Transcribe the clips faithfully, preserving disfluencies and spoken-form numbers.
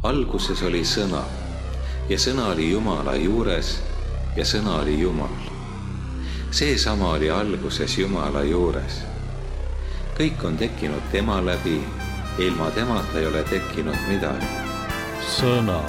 Alguses oli sõna ja sõna oli Jumala juures ja sõna oli Jumal. Seesama oli alguses Jumala juures. Kõik on tekkinud tema läbi, ilma temata ei ole tekkinud midagi. Sõna.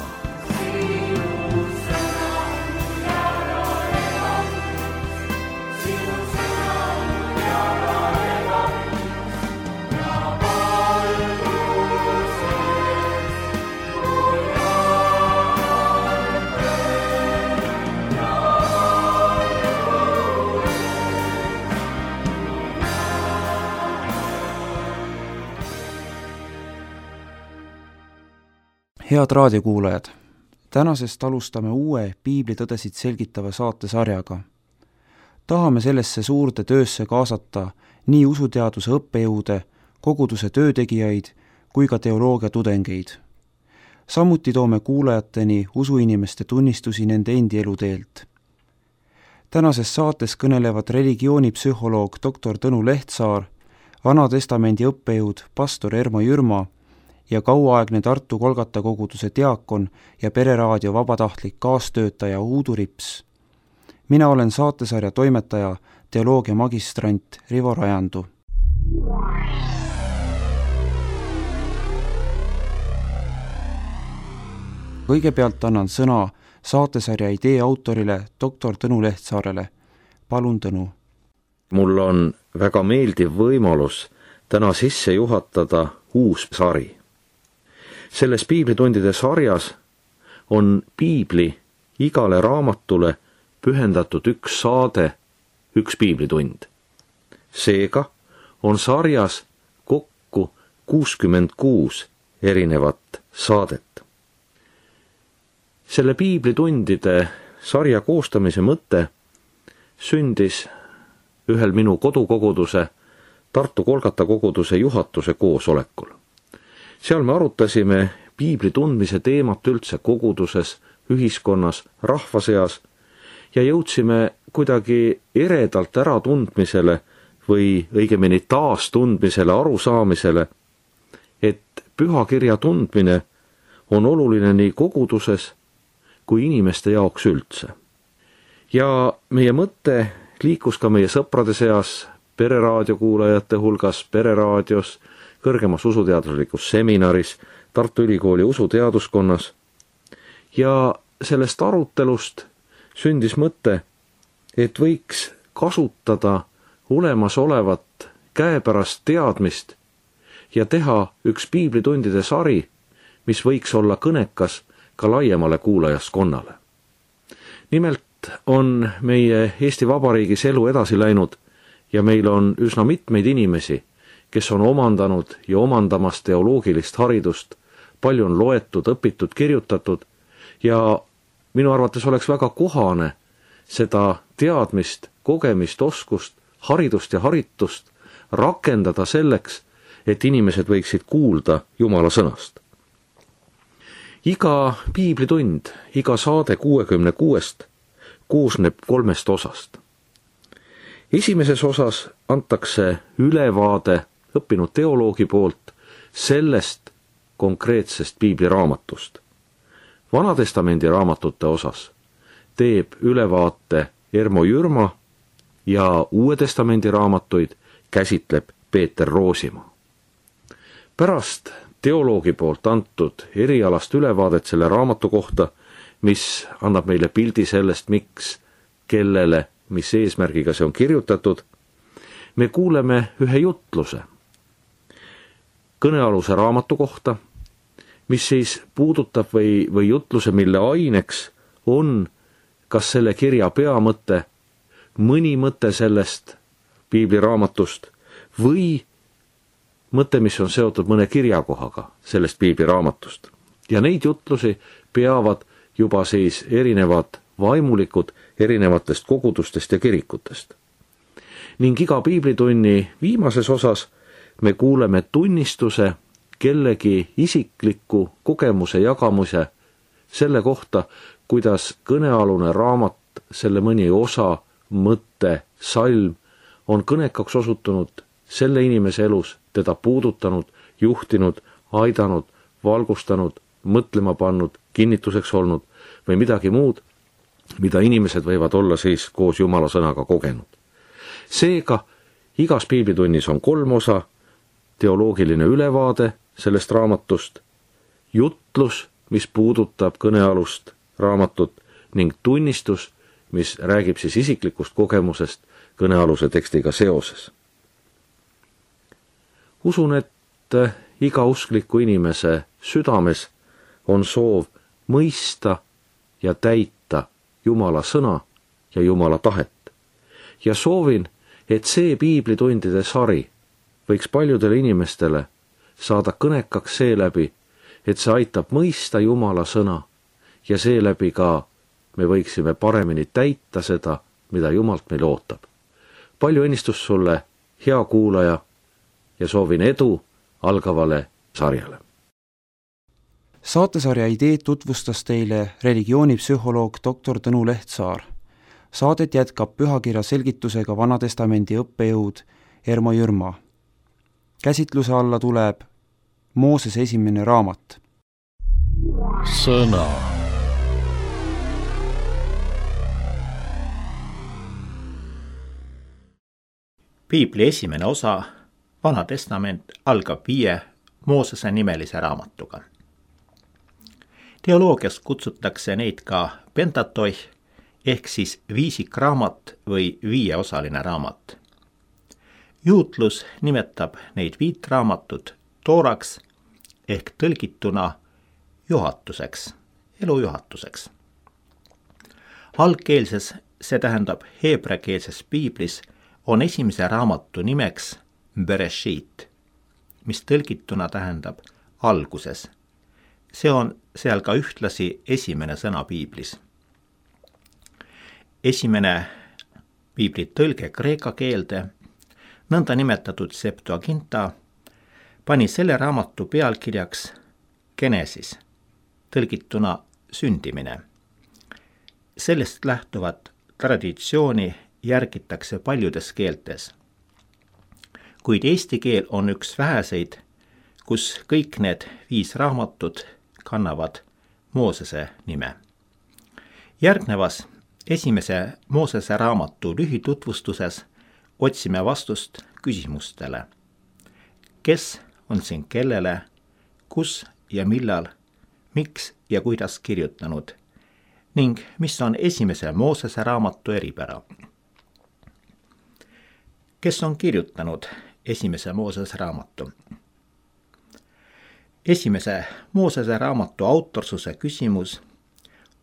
Head raadiokuulajad, tänasest alustame uue piiblitõdesid selgitava saatesarjaga. Tahame sellesse suurde töösse kaasata nii usuteaduse õppejõude, koguduse töötegijaid kui ka teoloogia tudengeid. Samuti toome kuulajateni usuinimeste tunnistusi nende endi eluteelt. Tänases saates kõnelevad religioonipsühholoog doktor Tõnu Lehtsaar, Vana Testamendi õppejõud pastor Ermo Jürma ja kauaaegne Tartu Kolgata koguduse diakon ja pereraadio vabatahtlik kaastöötaja Uudu Rips. Mina olen saatesarja toimetaja, teoloogia magistrant Rivo Rajandu. Kõigepealt annan sõna saatesarja idee autorile doktor Tõnu Lehtsaarele. Palun, Tõnu. Mul on väga meeldiv võimalus täna sisse juhatada uus sari. Selles piiblitundide sarjas on piibli igale raamatule pühendatud üks saade, üks piiblitund. Seega on sarjas kokku kuuskümmend kuus erinevat saadet. Selle piiblitundide sarja koostamise mõte sündis ühel minu kodukoguduse, Tartu Kolgata koguduse juhatuse koosolekul. Seal me arutasime piibli tundmise teemat üldse koguduses, ühiskonnas, rahva seas ja jõudsime kuidagi eredalt ära tundmisele või õigemini taas tundmisele, arusaamisele, et pühakirja tundmine on oluline nii koguduses kui inimeste jaoks üldse. Ja meie mõte liikus ka meie sõprade seas, pereraadiokuulajate hulgas, pereraadios, kõrgemas usuteaduslikus seminaris, Tartu Ülikooli usuteaduskonnas. Ja sellest arutelust sündis mõte, et võiks kasutada olemasolevat käepärast teadmist ja teha üks piiblitundide sari, mis võiks olla kõnekas ka laiemale kuulajaskonnale. Nimelt on meie Eesti Vabariigis elu edasi läinud ja meil on üsna mitmeid inimesi, kes on omandanud ja omandamas teoloogilist haridust, palju on loetud, õpitud, kirjutatud ja minu arvates oleks väga kohane seda teadmist, kogemist, oskust, haridust ja haritust rakendada selleks, et inimesed võiksid kuulda Jumala sõnast. Iga piiblitund, iga saade kuuekümne kuuest koosneb kolmest osast. Esimeses osas antakse ülevaade õppinud teoloogi poolt sellest konkreetsest piibliraamatust. Vana Testamendi raamatute osas teeb ülevaate Ermo Jürma ja Uue Testamendi raamatuid käsitleb Peeter Roosimaa. Pärast teoloogi poolt antud erialast ülevaadet selle raamatu kohta, mis annab meile pildi sellest, miks, kellele, mis eesmärgiga see on kirjutatud, me kuuleme ühe jutluse kõnealuse raamatu kohta, mis siis puudutab või, või jutluse, mille aineks on kas selle kirja peamõte, mõni mõte sellest piibliraamatust või mõte, mis on seotud mõne kirjakohaga sellest piibliraamatust. Ja neid jutlusi peavad juba siis erinevad vaimulikud erinevatest kogudustest ja kirikutest. Ning iga piiblitunni viimases osas me kuuleme tunnistuse kellegi isikliku kogemuse jagamuse selle kohta, kuidas kõnealune raamat, selle mõni osa, mõte, salm on kõnekaks osutunud selle inimese elus, teda puudutanud, juhtinud, aidanud, valgustanud, mõtlema pannud, kinnituseks olnud või midagi muud, mida inimesed võivad olla siis koos Jumala sõnaga kogenud. Seega igas piiblitunnis on kolm osa: teoloogiline ülevaade sellest raamatust, jutlus, mis puudutab kõnealust raamatut, ning tunnistus, mis räägib siis isiklikust kogemusest kõnealuse tekstiga seoses. Usun, et iga uskliku inimese südames on soov mõista ja täita Jumala sõna ja Jumala tahet. Ja soovin, et see piiblitundide sari võiks paljudele inimestele saada kõnekaks seeläbi, et see aitab mõista Jumala sõna ja seeläbi ka me võiksime paremini täita seda, mida Jumalt meil ootab. Palju õnnistust sulle, hea kuulaja, ja soovin edu algavale sarjale. Saatesarja ideed tutvustas teile religioonipsühholoog doktor Tõnu Lehtsaar. Saadet jätkab pühakirja selgitusega Vanatestamendi õppejõud Ermo Jürma. Käsitluse alla tuleb Moosese esimene raamat. Sõna. Piibli esimene osa, Vana testament, algab viie Moosese nimelise raamatuga. Teoloogias kutsutakse neid ka Pentatoih ehk siis viisikraamat või viieosaline raamat. Juutlus nimetab neid viit raamatut tooraks ehk tõlgituna juhatuseks, elujuhatuseks. Algkeelses, see tähendab heebreakeelses piiblis, on esimese raamatu nimeks Bereshit, mis tõlgituna tähendab alguses. See on seal ka ühtlasi esimene sõna piiblis. Esimene piibli tõlge kreeka keelde, nõnda nimetatud Septuaginta, pani selle raamatu pealkirjaks Genesis, tõlgituna sündimine. Sellest lähtuvat traditsiooni järgitakse paljudes keeltes. Kuid eesti keel on üks väheseid, kus kõik need viis raamatut kannavad Moosese nime. Järgnevas esimese Moosese raamatu lühitutvustuses otsime vastust küsimustele. Kes on siin kellele, kus ja millal, miks ja kuidas kirjutanud ning mis on esimese Moosese raamatu eripära? Kes on kirjutanud esimese Moosese raamatu? Esimese Moosese raamatu autorsuse küsimus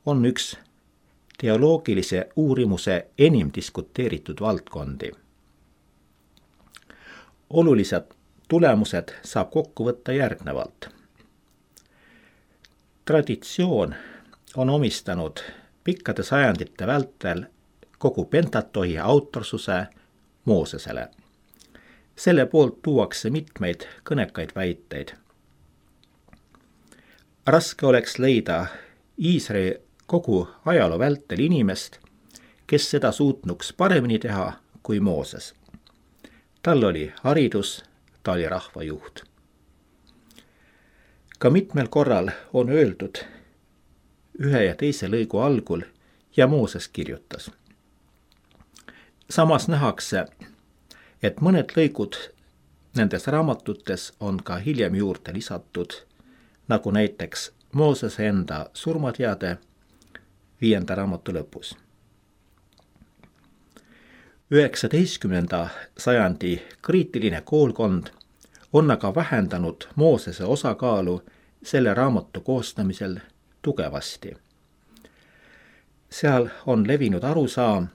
on üks teoloogilise uurimuse enim diskuteeritud valdkondi. Olulised tulemused saab kokku võtta järgnevalt. Traditsioon on omistanud pikkade sajandite vältel kogu Pentatohi autorsuse Moosesele. Selle poolt tuuakse mitmeid kõnekaid väiteid. Raske oleks leida Iisraeli kogu ajaloo vältel inimest, kes seda suutnuks paremini teha kui Mooses. Tal oli haridus, ta oli rahvajuht. Ka mitmel korral on öeldud ühe ja teise lõigu algul ja Mooses kirjutas. Samas nähakse, et mõned lõigud nendes raamatutes on ka hiljem juurde lisatud, nagu näiteks Moosese enda surmateade viienda raamatu lõpus. üheksateistkümnenda sajandi kriitiline koolkond on aga vähendanud Moosese osakaalu selle raamatu koostamisel tugevasti. Seal on levinud arusaam,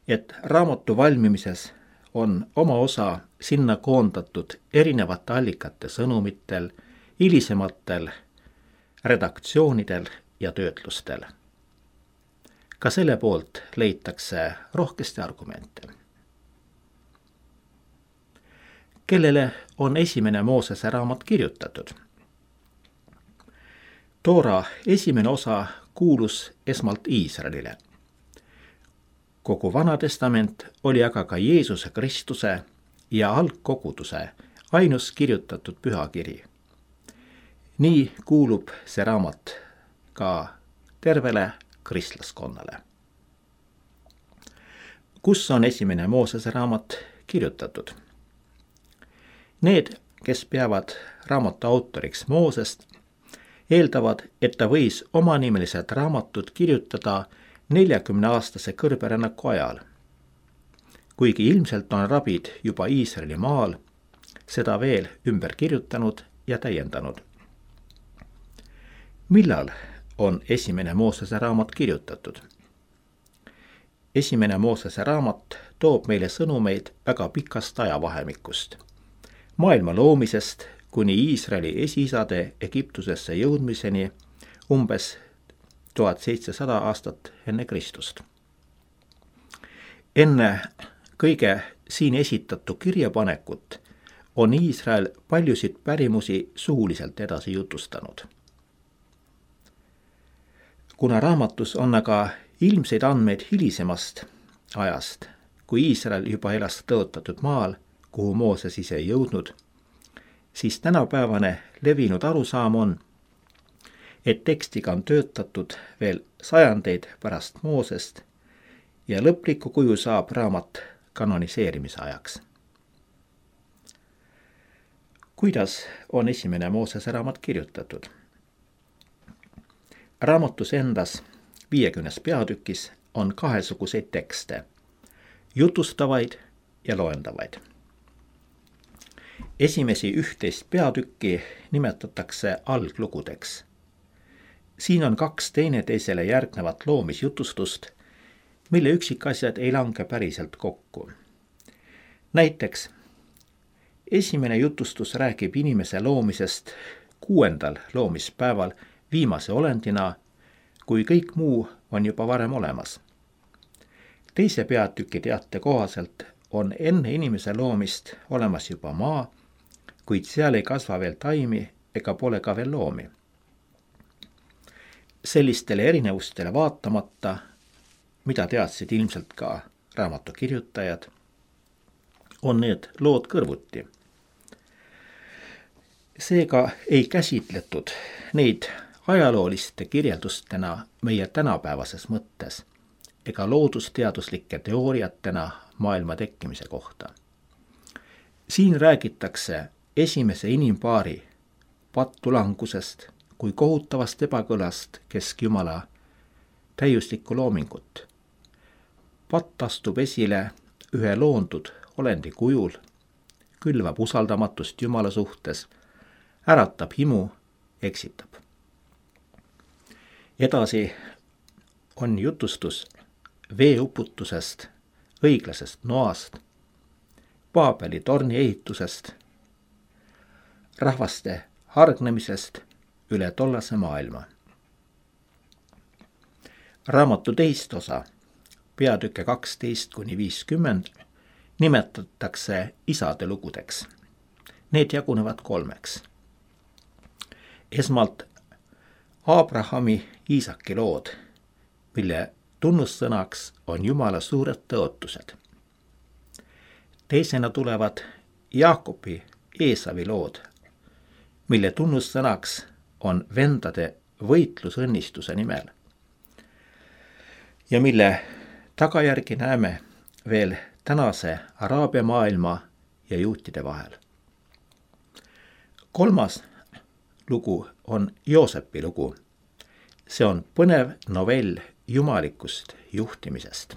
et raamatu valmimises on oma osa sinna koondatud erinevate allikate sõnumitel, hilisematel redaktsioonidel ja töötlustel. Ka selle poolt leitakse rohkesti argumente. Kellele on esimene Moosese raamat kirjutatud? Toora esimene osa kuulus esmalt Iisraelile. Kogu Vana testament oli aga ka Jeesuse Kristuse ja algkoguduse ainus kirjutatud pühakiri. nii kuulub see raamat ka tervele kristlaskonnale. Kus on esimene Moosese raamat kirjutatud? Need, kes peavad raamatu autoriks Moosest, eeldavad, et ta võis omanimelised raamatud kirjutada neljakümneaastase kõrberännaku ajal. Kuigi ilmselt on rabid juba Iisraeli maal seda veel ümber kirjutanud ja täiendanud. Millal on esimene Moosese raamat kirjutatud? Esimene Moosese raamat toob meile sõnumeid väga pikast ajavahemikust. Maailma loomisest kuni Iisraeli esiisade Egiptusesse jõudmiseni umbes tuhat seitsesada aastat enne Kristust. Enne kõige siin esitatu kirjapanekut on Iisrael paljusid pärimusi suuliselt edasi jutustanud. Kuna raamatus on aga ilmseid andmeid hilisemast ajast, kui Iisrael juba elas tõotatud maal, kuhu Mooses ise ei jõudnud, siis tänapäevane levinud arusaam on, et tekstiga on töötatud veel sajandeid pärast Moosest ja lõpliku kuju saab raamat kanoniseerimise ajaks. Kuidas on esimene Moosese raamat kirjutatud? Raamatus endas viiekümnes peatükis on kahesuguseid tekste, jutustavaid ja loendavaid. Esimesi ühteist peatükki nimetatakse alglugudeks. Siin on kaks teineteisele järgnevat loomisjutustust, mille üksikasjad ei lange päriselt kokku. Näiteks, esimene jutustus räägib inimese loomisest kuuendal loomispäeval viimase olendina, kui kõik muu on juba varem olemas. Teise peatüki teate kohaselt on enne inimese loomist olemas juba maa, kuid seal ei kasva veel taimi ega pole ka veel loomi. Sellistele erinevustele vaatamata, mida teadsid ilmselt ka raamatu kirjutajad, on need lood kõrvuti. Seega ei käsitletud neid ajalooliste kirjeldustena meie tänapäevases mõttes ega loodusteaduslike teooriatena maailma tekkimise kohta. Siin räägitakse esimese inimpaari pattulangusest kui kohutavast ebakõlast keskjumala täiuslikku loomingut. Patt astub esile ühe loondud olendi kujul, külvab usaldamatust Jumala suhtes, äratab himu, eksitab. Edasi on jutustus veeuputusest, õiglasest Noast, Paabeli torni ehitusest, rahvaste hargnemisest üle tollase maailma. Raamatu teist osa, peatükke kaksteist kuni viiskümmend, nimetatakse isade lugudeks. Need jagunevad kolmeks. Esmalt Abrahami Iisaki lood, mille tunnussõnaks on Jumala suured tõotused. Teisena tulevad Jaakobi Eesavi lood, mille tunnussõnaks on vendade võitlus õnnistuse nimel ja mille tagajärgi näeme veel tänase Araabia maailma ja juutide vahel. Kolmas lugu on Joosepi lugu. See on põnev novell jumalikust juhtimisest.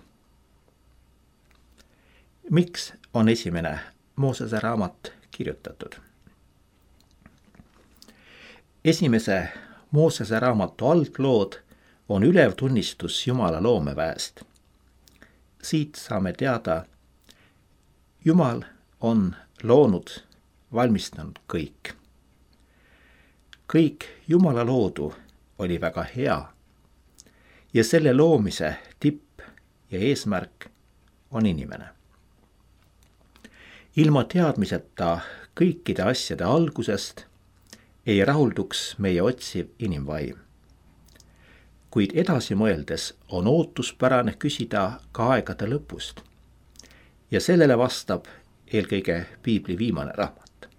Miks on esimene Moosese raamat kirjutatud? Esimese Moosese raamatu alglood on ülev tunnistus Jumala loomeväest. Siit saame teada, Jumal on loonud, valmistanud kõik. Kõik Jumala loodu oli väga hea ja selle loomise tipp ja eesmärk on inimene. Ilma teadmiseta kõikide asjade algusest ei rahulduks meie otsiv inimvaim. Kuid edasi mõeldes on ootuspärane küsida ka aegade lõpust ja sellele vastab eelkõige piibli viimane raamat.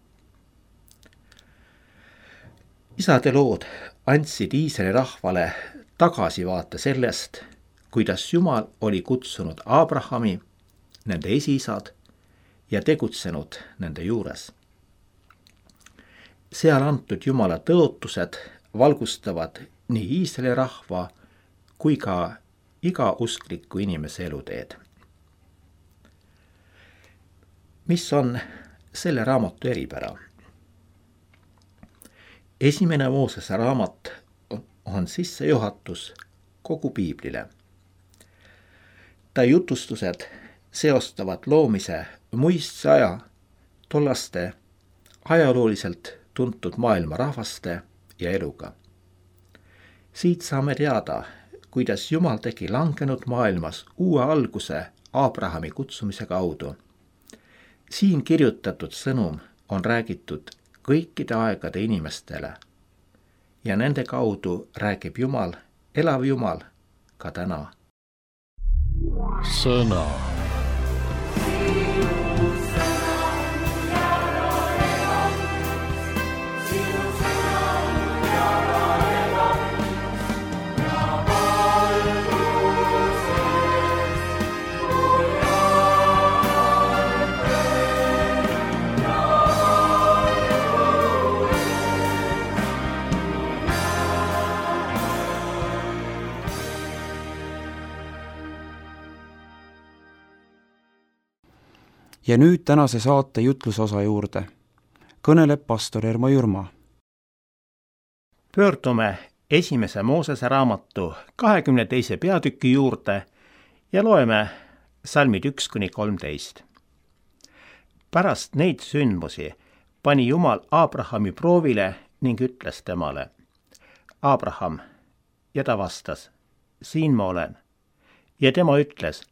isade lood andsid Iisraeli rahvale tagasivaate sellest, kuidas Jumal oli kutsunud Abrahami, nende esiisad, ja tegutsenud nende juures. Seal antud Jumala tõotused valgustavad nii Iisraeli rahva kui ka iga uskliku inimese eluteed. Mis on selle raamatu eripära? Esimene Moosese raamat on sissejuhatus kogu piiblile. Ta jutustused seostavad loomise muistse aja tollaste ajalooliselt tuntud maailma rahvaste ja eluga. Siit saame teada, kuidas Jumal tegi langenud maailmas uue alguse Abrahami kutsumise kaudu. Siin kirjutatud sõnum on räägitud kõikide aegade inimestele ja nende kaudu räägib Jumal, elav Jumal, ka täna. Sõna. Ja nüüd tänase saate jutlusosa juurde. Kõneleb pastor Ermo Jürma. Pöördume esimese Moosese raamatu kahekümne teise peatüki juurde ja loeme salmid üks kuni kolmteist. Pärast neid sündmusi pani Jumal Abrahami proovile ning ütles temale: Abraham, ja ta vastas: siin ma olen. Ja tema ütles: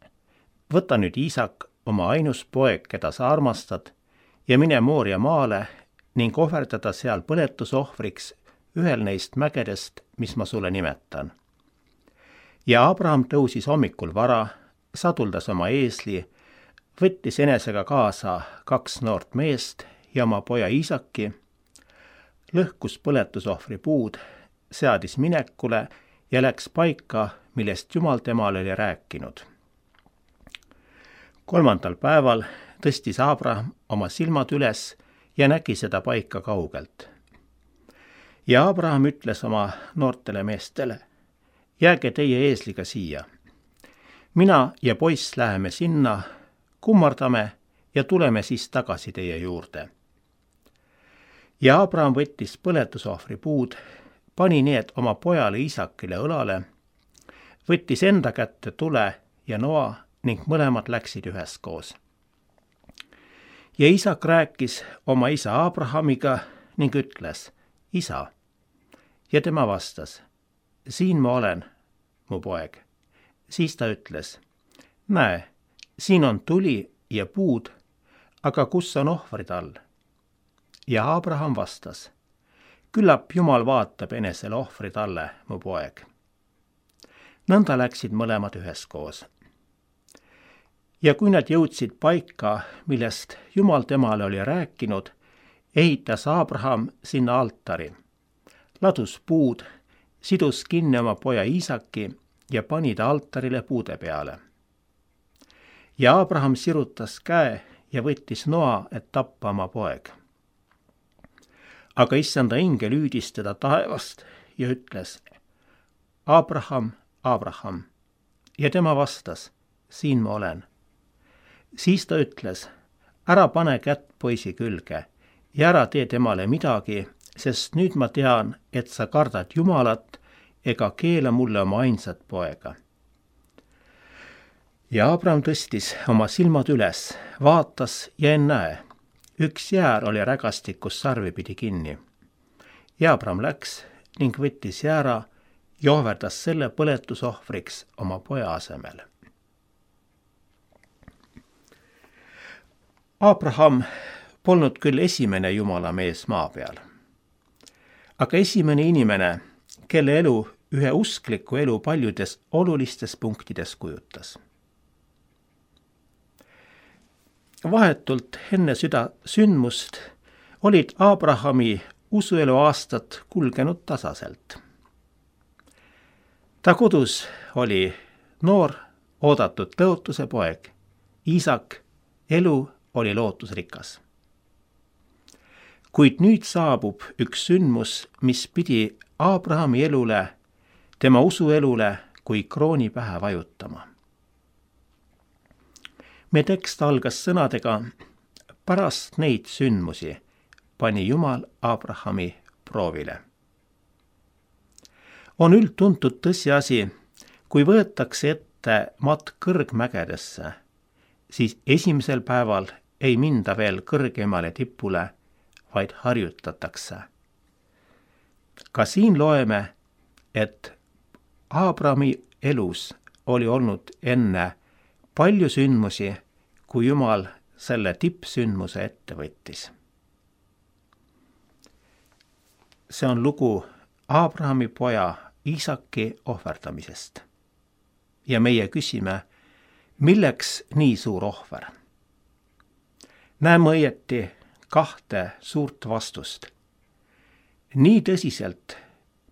võta nüüd Iisak, oma ainus poeg, keda sa armastad, ja mine Mooria maale ning ohverdada seal põletusohvriks ühel neist mägedest, mis ma sulle nimetan. Ja Abraham tõusis hommikul vara, saduldas oma eesli, võttis enesega kaasa kaks noort meest ja oma poja Iisaki, lõhkus põletusohvri puud, seadis minekule ja läks paika, millest Jumal temale oli rääkinud. Kolmandal päeval tõstis Abraham oma silmad üles ja nägi seda paika kaugelt. Ja Abraham ütles oma noortele meestele: jääge teie eesliga siia. Mina ja poiss läheme sinna, kummardame ja tuleme siis tagasi teie juurde. Ja Abraham võttis põletusohvri puud, pani need oma pojale Iisakile õlale, võttis enda kätte tule ja noa ning mõlemad läksid üheskoos. Ja Iisak rääkis oma isa Abrahamiga ning ütles: isa. Ja tema vastas: siin ma olen, mu poeg. Siis ta ütles: näe, siin on tuli ja puud, aga kus on ohvrid all? Ja Abraham vastas: küllap Jumal vaatab enesele ohvrid alle, mu poeg. Nõnda läksid mõlemad üheskoos. Ja kui nad jõudsid paika, millest Jumal temale oli rääkinud, ehitas Abraham sinna altari, ladus puud, sidus kinni oma poja Iisaki ja pani ta altarile puude peale. Ja Abraham sirutas käe ja võttis noa, et tappa oma poeg. Aga issanda ingel hüüdis teda taevast ja ütles: Abraham, Abraham. Ja tema vastas: siin ma olen. Siis ta ütles: ära pane kätt poisi külge ja ära tee temale midagi, sest nüüd ma tean, et sa kardad Jumalat ega keela mulle oma ainsat poega. Ja Abraham tõstis oma silmad üles, vaatas ja ennäe, üks jäär oli rägastikus sarvipidi kinni. Ja Abraham läks ning võttis jäära ja ohverdas selle põletusohvriks oma poja asemel. Abraham polnud küll esimene Jumala mees maa peal, aga esimene inimene, kelle elu ühe uskliku elu paljudes olulistes punktides kujutas. Vahetult enne seda sündmust olid Abrahami usuelu aastad kulgenud tasaselt. Ta kodus oli noor oodatud tõotuse poeg, Iisak, elu oli lootusrikas. Kuid nüüd saabub üks sündmus, mis pidi Abrahami elule, tema usuelule kui krooni pähe vajutama. Me tekst algas sõnadega: pärast neid sündmusi pani Jumal Abrahami proovile. On üldtuntud tõsiasi, kui võetakse ette matk kõrgmägedesse, siis esimesel päeval ei minda veel kõrgemale tipule, vaid harjutatakse. Ka siin loeme, et Abrahami elus oli olnud enne palju sündmusi, kui Jumal selle tippsündmuse ette võttis. See on lugu Abrahami poja Iisaki ohverdamisest. Ja meie küsime, milleks nii suur ohver? Näeme õieti kahte suurt vastust. Nii tõsiselt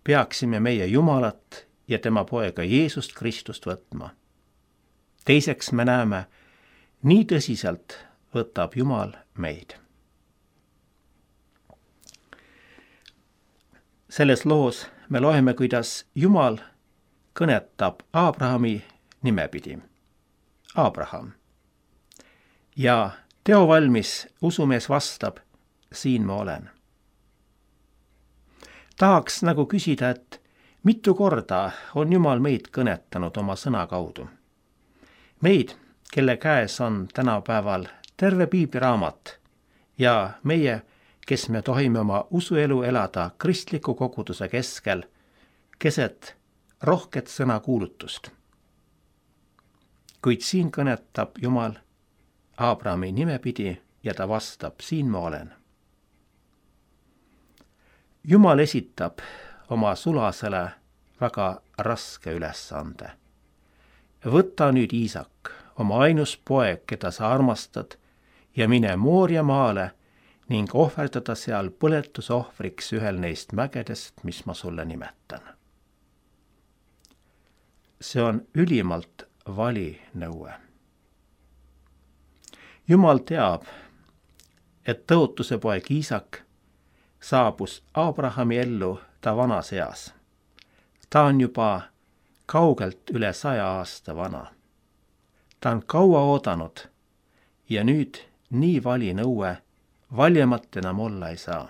peaksime meie Jumalat ja tema poega Jeesust Kristust võtma. Teiseks me näeme, nii tõsiselt võtab Jumal meid. Selles loos me loeme, kuidas Jumal kõnetab Abrahami nimepidi. Abraham. Ja teovalmis usumees vastab: siin ma olen. Tahaks nagu küsida, et mitu korda on Jumal meid kõnetanud oma sõna kaudu. Meid, kelle käes on tänapäeval terve piibliraamat ja meie, kes me tohime oma usuelu elada kristliku koguduse keskel, keset rohket sõnakuulutust. Kuid siin kõnetab Jumal Abrahami nimepidi ja ta vastab: siin ma olen. Jumal esitab oma sulasele väga raske ülesande. Võta nüüd Iisak, oma ainus poeg, keda sa armastad, ja mine Mooria maale ning ohverdada seal põletusohvriks ühel neist mägedest, mis ma sulle nimetan. See on ülimalt vali nõue. Jumal teab, et tõotuse poeg Iisak saabus Abrahami ellu ta vanas eas. Ta on juba kaugelt üle saja aasta vana. Ta on kaua oodanud ja nüüd nii vali nõue valjemat enam olla ei saa.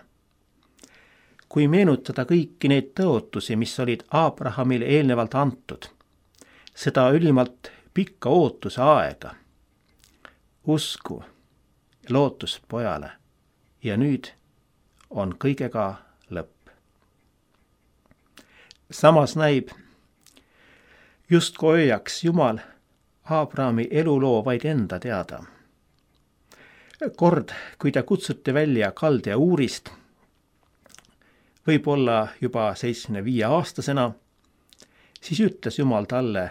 Kui meenutada kõiki neid tõotusi, mis olid Abrahamile eelnevalt antud, seda ülimalt pikka ootuse aega, usku, lootust pojale ja nüüd on kõigega lõpp. Samas näib, justkui hoiaks Jumal Abrahami eluloo vaid enda teada. Kord, kui ta kutsuti välja Kaldea Uurist, võib-olla juba seitsmekümne viie aastasena, siis ütles Jumal talle,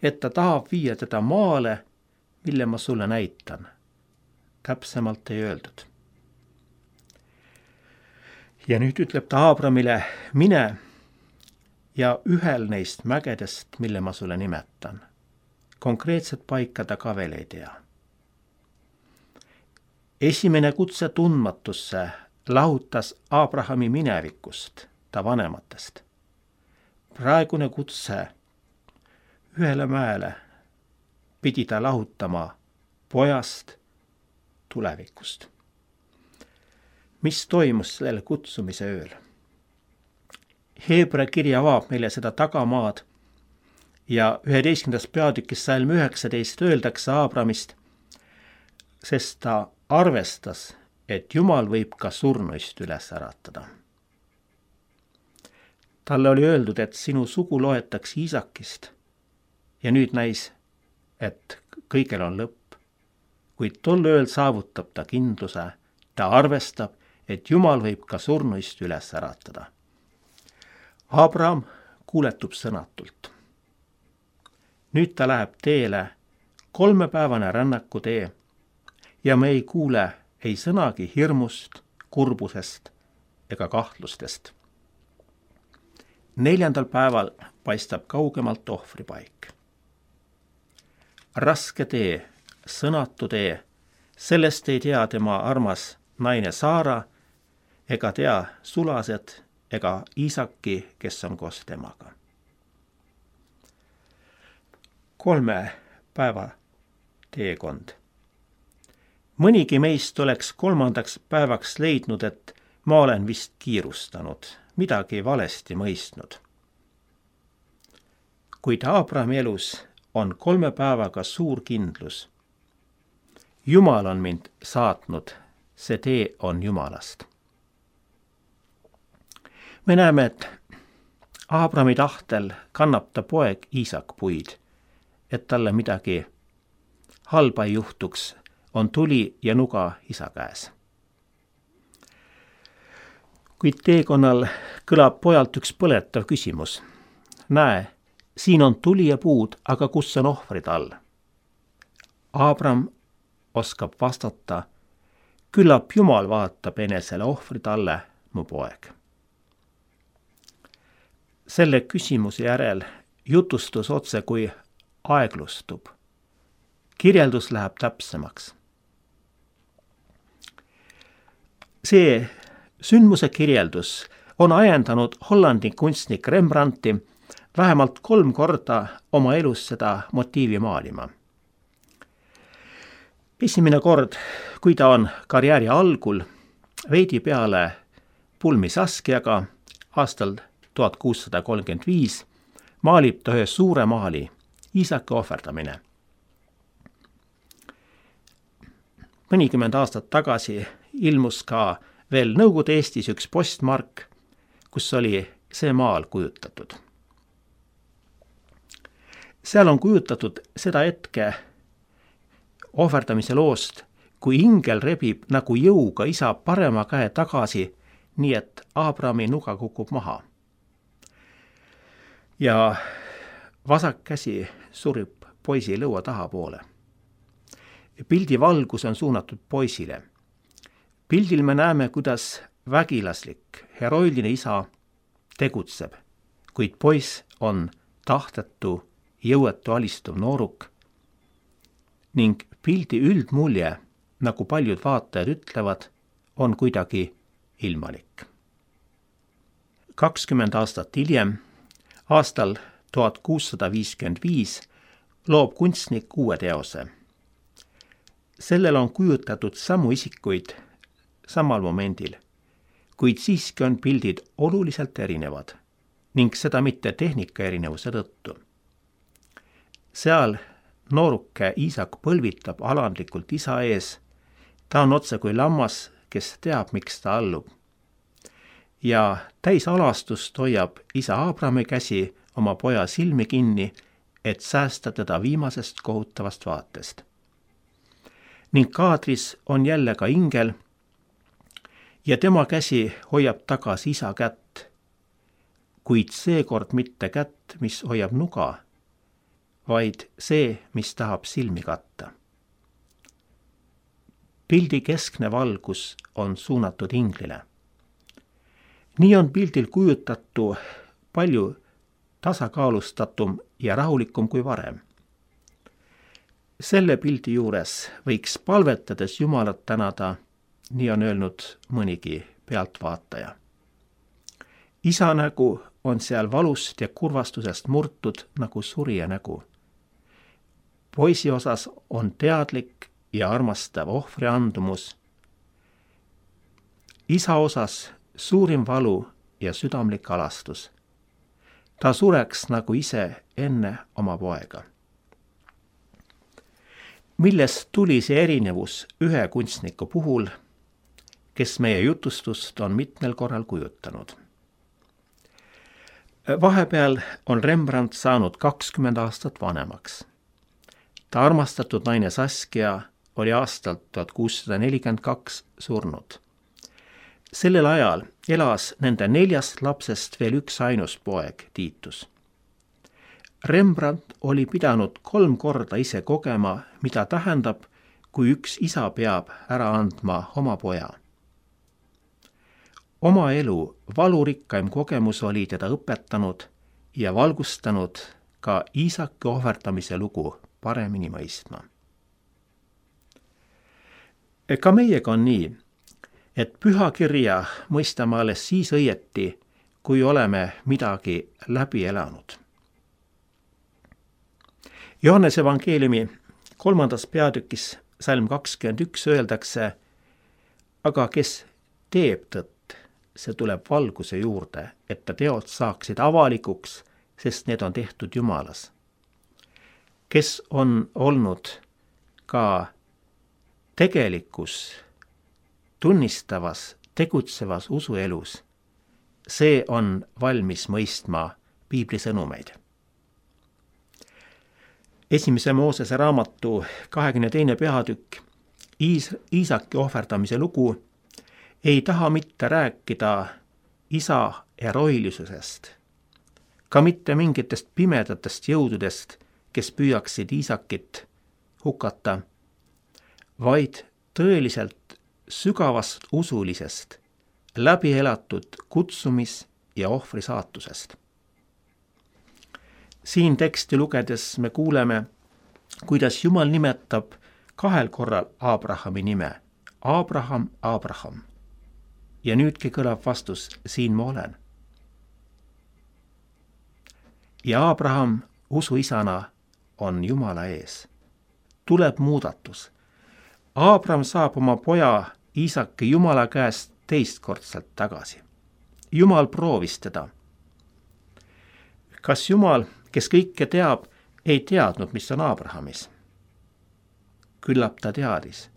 et ta tahab viia teda maale, mille ma sulle näitan. Täpsemalt ei öeldud. Ja nüüd ütleb ta Abrahamile: mine ja ühel neist mägedest, mille ma sulle nimetan. Konkreetset paika ta ka veel ei tea. Esimene kutse tundmatusse lahutas Abrahami minevikust, ta vanematest. Praegune kutse ühele mäele pidi ta lahutama pojast tulevikust. Mis toimus sellel kutsumise ööl? Heebra kiri avab meile seda tagamaad ja üheteistkümnendas peatükis salm üheksateist öeldakse Abramist, sest ta arvestas, et Jumal võib ka surnuist üles äratada. Talle oli öeldud, et sinu sugu loetakse Iisakist ja nüüd näis, et kõigel on lõpp. Kuid tol ööl saavutab ta kindluse, ta arvestab, et Jumal võib ka surnuist üles äratada. Abraham kuuletub sõnatult. Nüüd ta läheb teele, kolmepäevane rännakutee ja me ei kuule ei sõnagi hirmust, kurbusest ega kahtlustest. Neljandal päeval paistab kaugemalt ohvripaik. Raske tee, sõnatu tee, sellest ei tea tema armas naine Saara ega tea sulased ega Iisaki, kes on koos temaga. Kolme päeva teekond. Mõnigi meist oleks kolmandaks päevaks leidnud, et ma olen vist kiirustanud, midagi valesti mõistnud. Kuid Aabrami elus on kolme päevaga suur kindlus. Jumal on mind saatnud, see tee on Jumalast. Me näeme, et Aabrami tahtel kannab ta poeg Iisak puid, et talle midagi halba ei juhtuks, on tuli ja nuga isa käes. Kuid teekonnal kõlab pojalt üks põletav küsimus. Näe, siin on tuli ja puud, aga kus on ohvrid all? Aabram oskab vastata, küllap Jumal vaatab enesele ohvrid alle, mu poeg. Selle küsimuse järel jutustus otse kui aeglustub. Kirjeldus läheb täpsemaks. See sündmuse kirjeldus on ajendanud Hollandi kunstnik Rembrandti vähemalt kolm korda oma elus seda motiivi maalima. Esimene kord, kui ta on karjääri algul, veidi peale pulmi Saskiaga aastal tuhat kuussada kolmkümmend viis, maalib ta ühe suure maali, Iisaki ohverdamine. Mõnikümmend aastat tagasi ilmus ka veel Nõukogude Eestis üks postmark, kus oli see maal kujutatud. Seal on kujutatud seda hetke ohverdamise loost, kui ingel rebib nagu jõuga isa parema käe tagasi, nii et Aabrami nuga kukub maha. Ja vasak käsi surib poisi lõua tahapoole. Pildi valgus on suunatud poisile. Pildil me näeme, kuidas vägilaslik, heroiline isa tegutseb, kuid poiss on tahtetu, jõuetu alistuv nooruk ning pildi üldmulje, nagu paljud vaatajad ütlevad, on kuidagi ilmalik. kakskümmend aastat hiljem, aastal tuhat kuussada viiskümmend viis, loob kunstnik uue teose. Sellel on kujutatud samu isikuid samal momendil, kuid siiski on pildid oluliselt erinevad ning seda mitte tehnika erinevuse tõttu. Seal nooruke Iisak põlvitab alandlikult isa ees, ta on otse kui lammas, kes teab, miks ta allub. Ja täis alastust hoiab isa Aabrami käsi oma poja silmi kinni, et säästa teda viimasest kohutavast vaatest. Ning kaadris on jälle ka ingel ja tema käsi hoiab tagasi isa kätt, kuid seekord mitte kätt, mis hoiab nuga, vaid see, mis tahab silmi katta. Pildi keskne valgus on suunatud inglile. Nii on pildil kujutatu palju tasakaalustatum ja rahulikum kui varem. Selle pildi juures võiks palvetades Jumalat tänada, nii on öelnud mõnigi pealtvaataja. Isa nägu on seal valust ja kurvastusest murtud nagu surija nägu. Poisi osas on teadlik ja armastav ohvri andumus. Isa osas suurim valu ja südamlik alastus. Ta sureks nagu ise enne oma poega. Millest tuli see erinevus ühe kunstniku puhul, kes meie jutustust on mitmel korral kujutanud? Vahepeal on Rembrandt saanud kakskümmend aastat vanemaks. Ta armastatud naine Saskia oli aastalt tuhat kuussada nelikümmend kaks surnud. Sellel ajal elas nende neljast lapsest veel üks ainus poeg, Tiitus. Rembrandt oli pidanud kolm korda ise kogema, mida tähendab, kui üks isa peab ära andma oma poja. oma elu valurikkaim kogemus oli teda õpetanud ja valgustanud ka Iisaki ohverdamise lugu paremini mõistma. Ka meiega on nii, et pühakirja mõistame alles siis õieti, kui oleme midagi läbi elanud. Johannese evangeeliumi kolmandas peatükis salm kakskümmend üks öeldakse, aga kes teeb tõtt, see tuleb valguse juurde, et ta teod saaksid avalikuks, sest need on tehtud Jumalas. Kes on olnud ka tegelikus, tunnistavas, tegutsevas usuelus, see on valmis mõistma piibli sõnumeid. Esimese Moosese raamatu kahekümne teine peatükk, Iis, Iisaki ohverdamise lugu, ei taha mitte rääkida isa heroilisusest, ka mitte mingitest pimedatest jõududest, kes püüaksid Iisakit hukata, vaid tõeliselt sügavast usulisest, läbi elatud kutsumis- ja ohvrisaatusest. Siin teksti lugedes me kuuleme, kuidas Jumal nimetab kahel korral Abrahami nime. Abraham, Abraham. Ja nüüdki kõlab vastus, siin ma olen. Ja Abraham usuisana on Jumala ees. Tuleb muudatus. Abraham saab oma poja Iisaki Jumala käest teistkordselt tagasi. Jumal proovis teda. Kas Jumal, kes kõike teab, ei teadnud, mis on Abrahamis? Küllap ta teadis.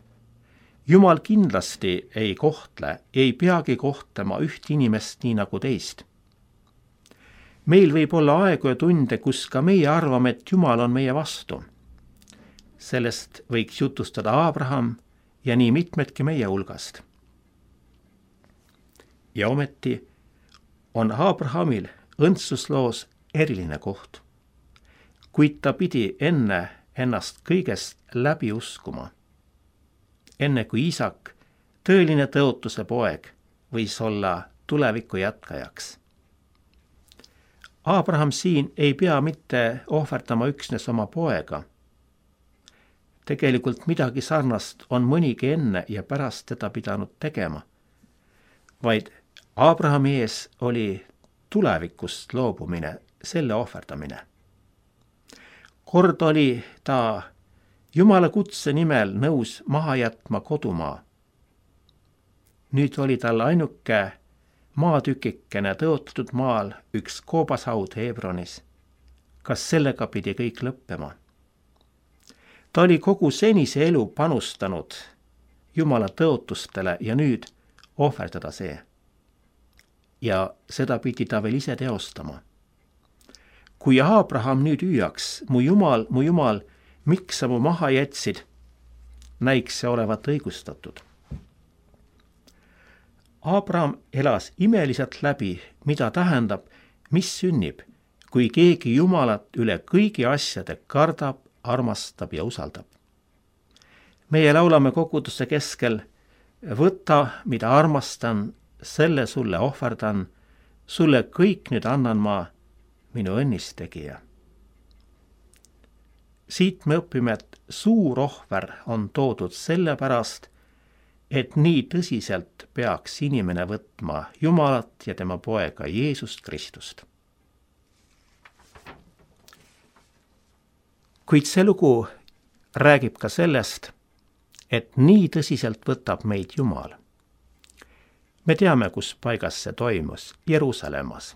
Jumal kindlasti ei kohtle, ei peagi kohtlema üht inimest nii nagu teist. Meil võib olla aegu ja tunde, kus ka meie arvame, et Jumal on meie vastu. Sellest võiks jutustada Abraham ja nii mitmedki meie hulgast. Ja ometi on Abrahamil õndsusloos eriline koht, kuid ta pidi enne ennast kõigest läbi uskuma. Enne kui Iisak, tõeline tõotuse poeg, võis olla tuleviku jätkajaks. Abraham siin ei pea mitte ohverdama üksnes oma poega. Tegelikult midagi sarnast on mõnigi enne ja pärast teda pidanud tegema, vaid Abrahami ees oli tulevikust loobumine, selle ohverdamine. Kord oli ta Jumala kutse nimel nõus maha jätma kodumaa. Nüüd oli tal ainuke maatükikene tõotatud maal üks koobashaud Hebronis. Kas sellega pidi kõik lõppema? Ta oli kogu senise elu panustanud Jumala tõotustele ja nüüd ohverdada see. Ja seda pidi ta veel ise teostama. Kui Abraham nüüd hüüaks, mu Jumal, mu Jumal, miks sa mu maha jätsid, näiks see olevat õigustatud. Abraham elas imeliselt läbi, mida tähendab, mis sünnib, kui keegi Jumalat üle kõigi asjade kardab, armastab ja usaldab. Meie laulame koguduse keskel, võta, mida armastan, selle sulle ohverdan, sulle kõik nüüd annan ma, minu õnnistegija. Siit me õpime, et suur ohver on toodud sellepärast, et nii tõsiselt peaks inimene võtma Jumalat ja tema poega Jeesust Kristust. Kuid see lugu räägib ka sellest, et nii tõsiselt võtab meid Jumal. Me teame, kus paigas see toimus, Jeruusalemmas.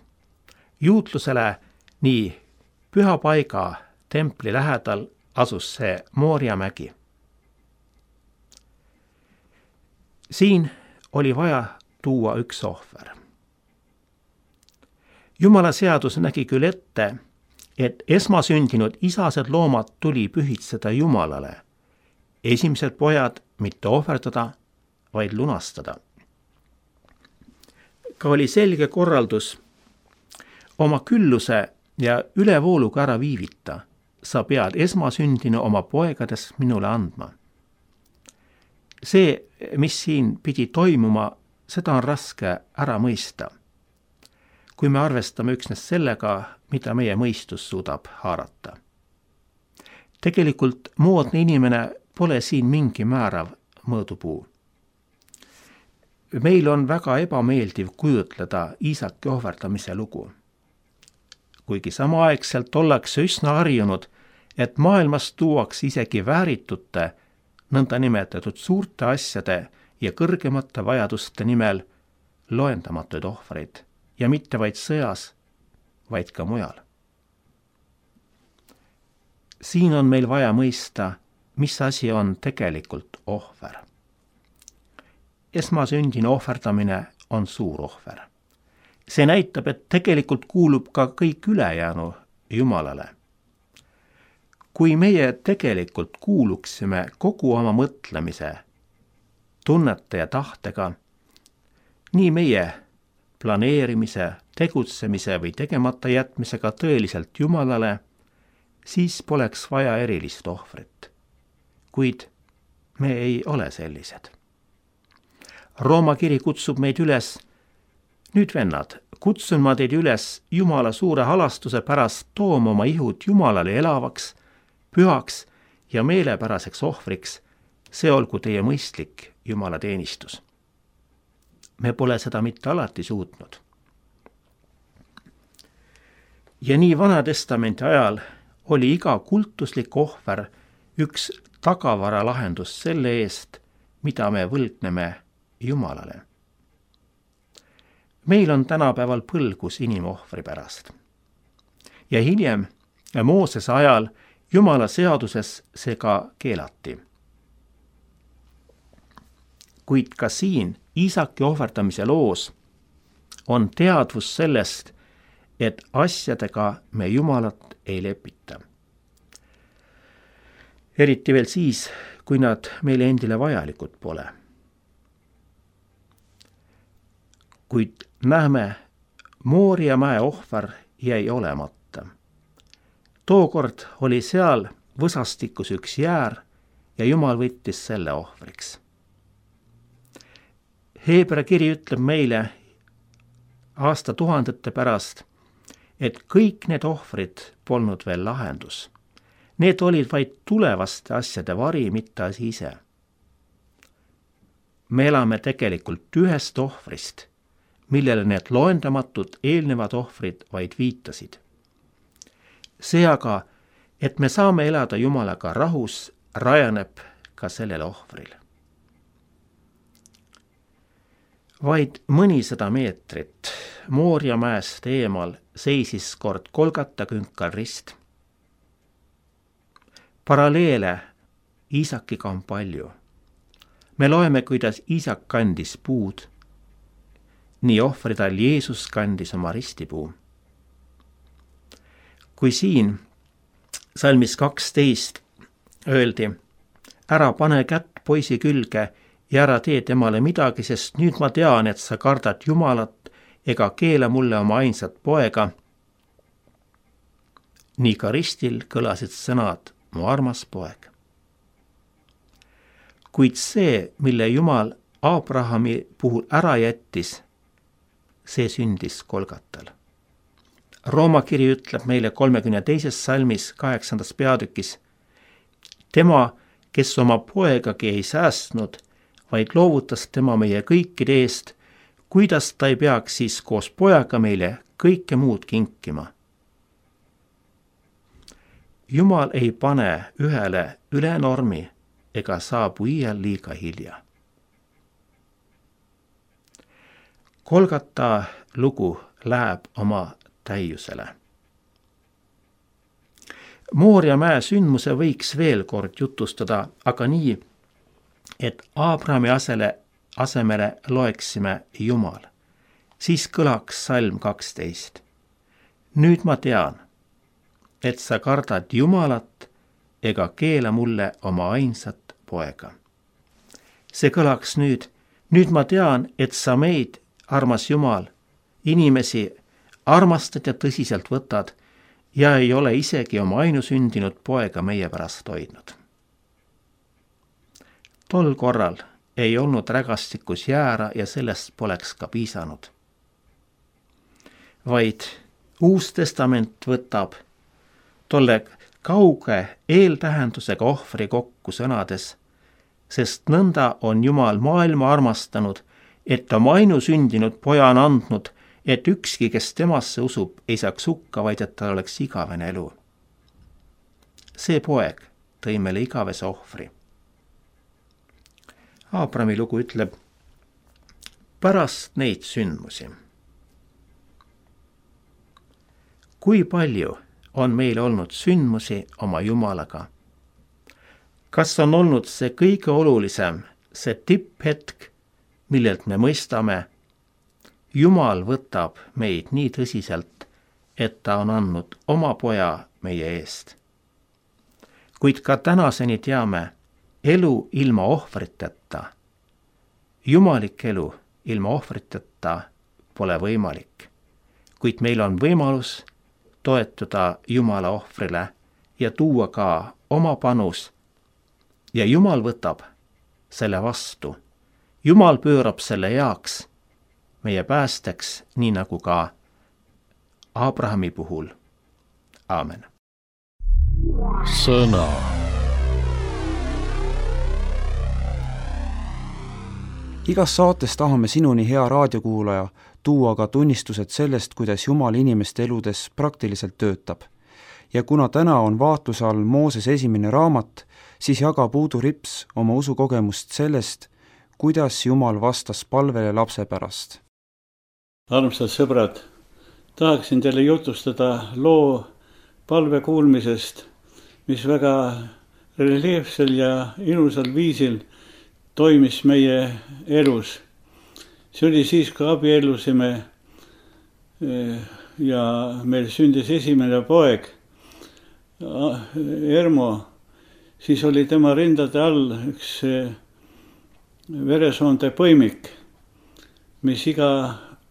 Juutlusele nii püha paiga templi lähedal asus see Mooria mägi. Siin oli vaja tuua üks ohver. Jumala seadus nägi küll ette, et esmasündinud isased loomad tuli pühitseda Jumalale. Esimesed pojad mitte ohverdada, vaid lunastada. Ka oli selge korraldus oma külluse ja ülevooluga ära viivita. Sa pead esmasündinu oma poegades minule andma. See, mis siin pidi toimuma, seda on raske ära mõista, kui me arvestame üksnes sellega, mida meie mõistus suudab haarata. Tegelikult moodne inimene pole siin mingi määrav mõõdupuu. Meil on väga ebameeldiv kujutleda Iisaki ohverdamise lugu. Kuigi samaaegselt ollakse üsna harjunud, et maailmas tuuakse isegi vääritute, nõnda nimetatud suurte asjade ja kõrgemate vajaduste nimel loendamatuid ohvreid ja mitte vaid sõjas, vaid ka mujal. Siin on meil vaja mõista, mis asi on tegelikult ohver. Esmasündine ohverdamine on suur ohver. See näitab, et tegelikult kuulub ka kõik ülejäänu Jumalale. Kui meie tegelikult kuuluksime kogu oma mõtlemise, tunnete ja tahtega, nii meie planeerimise, tegutsemise või tegemata jätmisega tõeliselt Jumalale, siis poleks vaja erilist ohvrit. Kuid me ei ole sellised. Rooma kiri kutsub meid üles, nüüd vennad, kutsun ma teid üles Jumala suure halastuse pärast tooma oma ihud Jumalale elavaks, pühaks ja meelepäraseks ohvriks, see olgu teie mõistlik Jumala teenistus. Me pole seda mitte alati suutnud. Ja nii Vana Testamenti ajal oli iga kultuslik ohver üks tagavara lahendus selle eest, mida me võlgneme Jumalale. Meil on tänapäeval põlgus inimohvri pärast. Ja hiljem Moosese ajal Jumala seaduses see ka keelati. Kuid ka siin Iisaki ohverdamise loos on teadvus sellest, et asjadega me Jumalat ei lepita. Eriti veel siis, kui nad meile endile vajalikud pole. Kuid näeme, Mooria mäe ohver jäi olemata. Tookord oli seal võsastikus üks jäär ja Jumal võttis selle ohvriks. Heebra kiri ütleb meile aastatuhandete pärast, et kõik need ohvrid polnud veel lahendus. Need olid vaid tulevaste asjade vari, mitte asi ise. Me elame tegelikult ühest ohvrist, millele need loendamatud eelnevad ohvrid vaid viitasid. See aga, et me saame elada Jumalaga rahus, rajaneb ka sellel ohvril. Vaid mõnisada meetrit Mooria mäest eemal seisis kord Golgata künkal rist. Paralleele Iisakiga on palju. Me loeme, kuidas Iisak kandis puud, nii ohvrital Jeesus kandis oma ristipuu. Kui siin salmis kaksteist öeldi, ära pane kätt poisi külge ja ära tee temale midagi, sest nüüd ma tean, et sa kardad Jumalat ega keela mulle oma ainsat poega. Nii ka ristil kõlasid sõnad, mu armas poeg. Kuid see, mille Jumal Abrahami puhul ära jättis, see sündis Golgatal. Rooma kiri ütleb meile kolmekümne teises salmis kaheksandas peatükis, tema, kes oma poegagi ei säästnud, vaid loovutas tema meie kõikide eest, kuidas ta ei peaks siis koos pojaga meile kõike muud kinkima. Jumal ei pane ühele üle normi ega saabu iial liiga hilja. Golgata lugu läheb oma täiusele. Mooria mäe sündmuse võiks veel kord jutustada, aga nii, et Abrahami asele, asemele loeksime Jumal. Siis kõlaks salm kaksteist. Nüüd ma tean, et sa kardad Jumalat ega keela mulle oma ainsat poega. See kõlaks nüüd, nüüd ma tean, et sa meid, armas Jumal, inimesi armastad ja tõsiselt võtad ja ei ole isegi oma ainusündinud poega meie pärast hoidnud. Tol korral ei olnud rägastikus jäära ja sellest poleks ka piisanud. Vaid Uus Testament võtab tolle kauge eeltähendusega ohvri kokku sõnades, sest nõnda on Jumal maailma armastanud, et oma ainusündinud poja on andnud, et ükski, kes temasse usub, ei saaks hukka, vaid et tal oleks igavene elu. See poeg tõi meile igavese ohvri. Aabrami lugu ütleb, pärast neid sündmusi. Kui palju on meil olnud sündmusi oma Jumalaga? Kas on olnud see kõige olulisem, see tipphetk, millelt me mõistame, Jumal võtab meid nii tõsiselt, et ta on andnud oma poja meie eest. Kuid ka tänaseni teame, elu ilma ohvriteta, jumalik elu ilma ohvriteta pole võimalik. Kuid meil on võimalus toetuda Jumala ohvrile ja tuua ka oma panus. Ja Jumal võtab selle vastu. Jumal pöörab selle heaks meie päästeks, nii nagu ka Abrahami puhul. Aamen. Sõna. Igas saates tahame sinuni, hea raadiokuulaja, tuua ka tunnistused sellest, kuidas Jumal inimeste eludes praktiliselt töötab. Ja kuna täna on vaatluse all Mooses esimene raamat, siis jagab Uudu Rips oma usukogemust sellest, kuidas Jumal vastas palvele lapse pärast. Armsad sõbrad, tahaksin teile jutustada loo palve kuulmisest, mis väga reljeefsel ja ilusal viisil toimis meie elus. See oli siis, kui abiellusime ja meil sündis esimene poeg, Ermo, siis oli tema rindade all üks veresoonte põimik, mis iga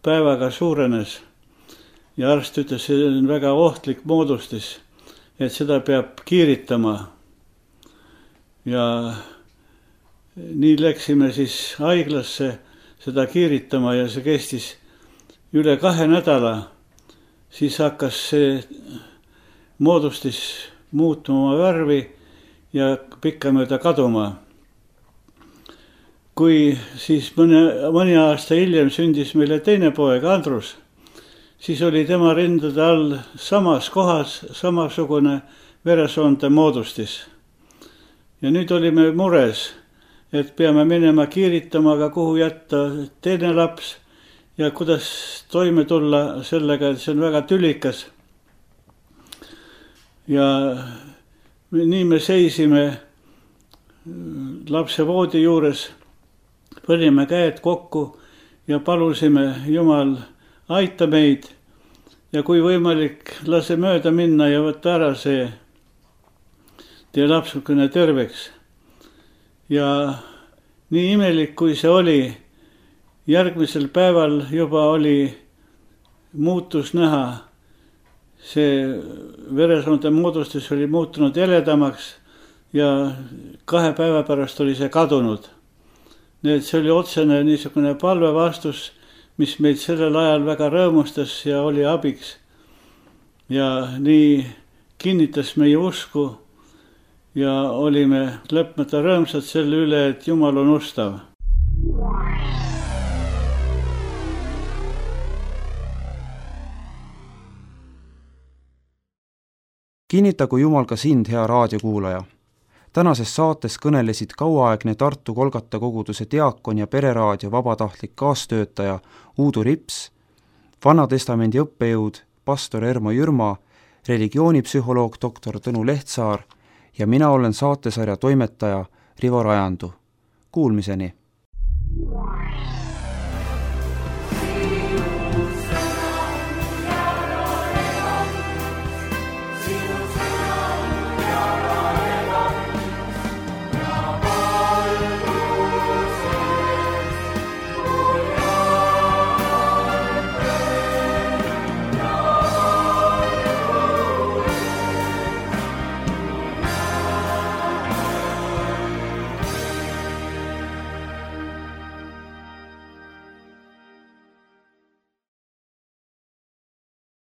päevaga suurenes ja arst ütles, see on väga ohtlik moodustis, et seda peab kiiritama. Ja nii läksime siis haiglasse seda kiiritama ja see kestis üle kahe nädala. Siis hakkas see moodustis muutuma oma värvi ja pikkamööda kaduma. Kui siis mõne, mõni aasta hiljem sündis meile teine poeg, Andrus, siis oli tema rindade all samas kohas samasugune veresoonte moodustis. Ja nüüd olime mures, et peame minema kiiritama, aga kuhu jätta teine laps ja kuidas toime tulla sellega, et see on väga tülikas. Ja nii me seisime lapse voodi juures, panime käed kokku ja palusime, Jumal, aita meid ja kui võimalik, lase mööda minna ja võtta ära see tee lapsukene terveks. Ja nii imelik, kui see oli, järgmisel päeval juba oli muutus näha. See veresoonte moodustis oli muutunud jäledamaks ja kahe päeva pärast oli see kadunud. Nii et see oli otsene niisugune palve vastus, mis meid sellel ajal väga rõõmustas ja oli abiks. Ja nii kinnitas meie usku ja olime lõpmata rõõmsad selle üle, et Jumal on ustav. Kinnitagu Jumal ka sind, hea raadiokuulaja. Tänases saates kõnelesid kauaaegne Tartu Kolgata koguduse diakon ja pereraadio vabatahtlik kaastöötaja Uudu Rips, Vanatestamendi õppejõud pastor Ermo Jürma, religioonipsühholoog doktor Tõnu Lehtsaar ja mina olen saatesarja toimetaja Rivo Rajandu. Kuulmiseni!